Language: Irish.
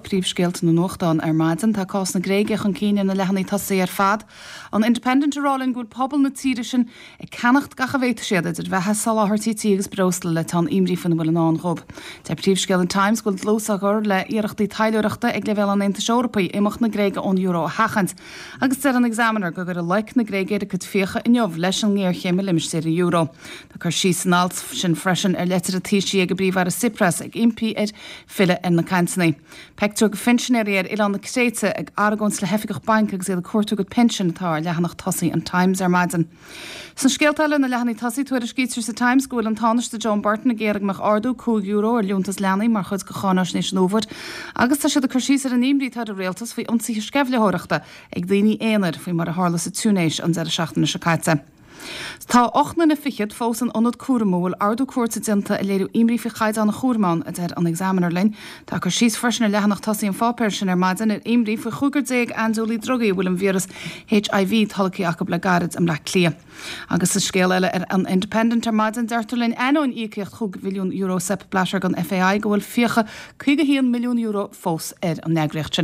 príomhscéalta na nuachtán ar maidin. Tá cás na Gréige chun cinn ar na leathanaigh tosaigh ar fad. An Independent ag rá linn go bhfuil pobal na tíre sin ag ceannacht gach a bhféadfaidh siad, idir bheatha, soláthairtí tí agus breosla, le teann imní faoina bhfuil i ndán dhóibh. Deir príomhscéal an Times go bhfuil dlús á chur le hiarrachtaí taidhleoireachta ag leibhéal an Aontais Eorpaigh imeacht na Gréige ón euro a sheachaint. Agus deir an Examiner go gcuirfidh loic na Gréige ar a cuid fiacha inniu leis an ngéarchéim i limistéar an euro. Tá cur síos san alt sin freisin ar leitir an Taoisigh ag an bPríomh-Aire Tsipras ag impí air filleadh ar na cainteanna. Pictiúr de phinsinéirí ar oileán na Créite ag argóint le hoifigeach bainc agus iad ag cuartú a gcuid pinsean atá ar leathanach tosaigh an Times ar maidin. Sna scéalta eile ar na leathanaigh tosaigh, tuairiscítear sa Times go bhfuil an Tánaiste Joan Burton ag iarraidh go mbeadh ardú €5 ar liúntas leanaí mar chuid de cháináisnéis an fhómhair agus tá siad ag cur síos ar an imní atá ar an rialtas faoi ionsaithe sceimhlitheoireachta ag daoine aonair faoi mar a tharla sa Túinéis an deireadh seachtaine seo caite. Tá 8 nduine fichead fós in ionad cúraim a bhfuil ordú cúirte déanta ag léiriú imní faoi chaighdeán an chúraim ann, a deir an Examiner linn. Tá cur síos freisin ar leathanach tosaigh an pháipéir sin ar maidin ar imní faoi chúigear andúiligh drugaí a bhfuil an víreas HIV tolgtha acu le gairid i mBleá Cliath. Agus sa scéal eile ar an Independent ar maidin, deirtear linn ainneoin íocaíocht €5 mhilliún Sepp Blatter don FAI go bhfuil fiacha €51 milliún fós ar an eagraíocht sin.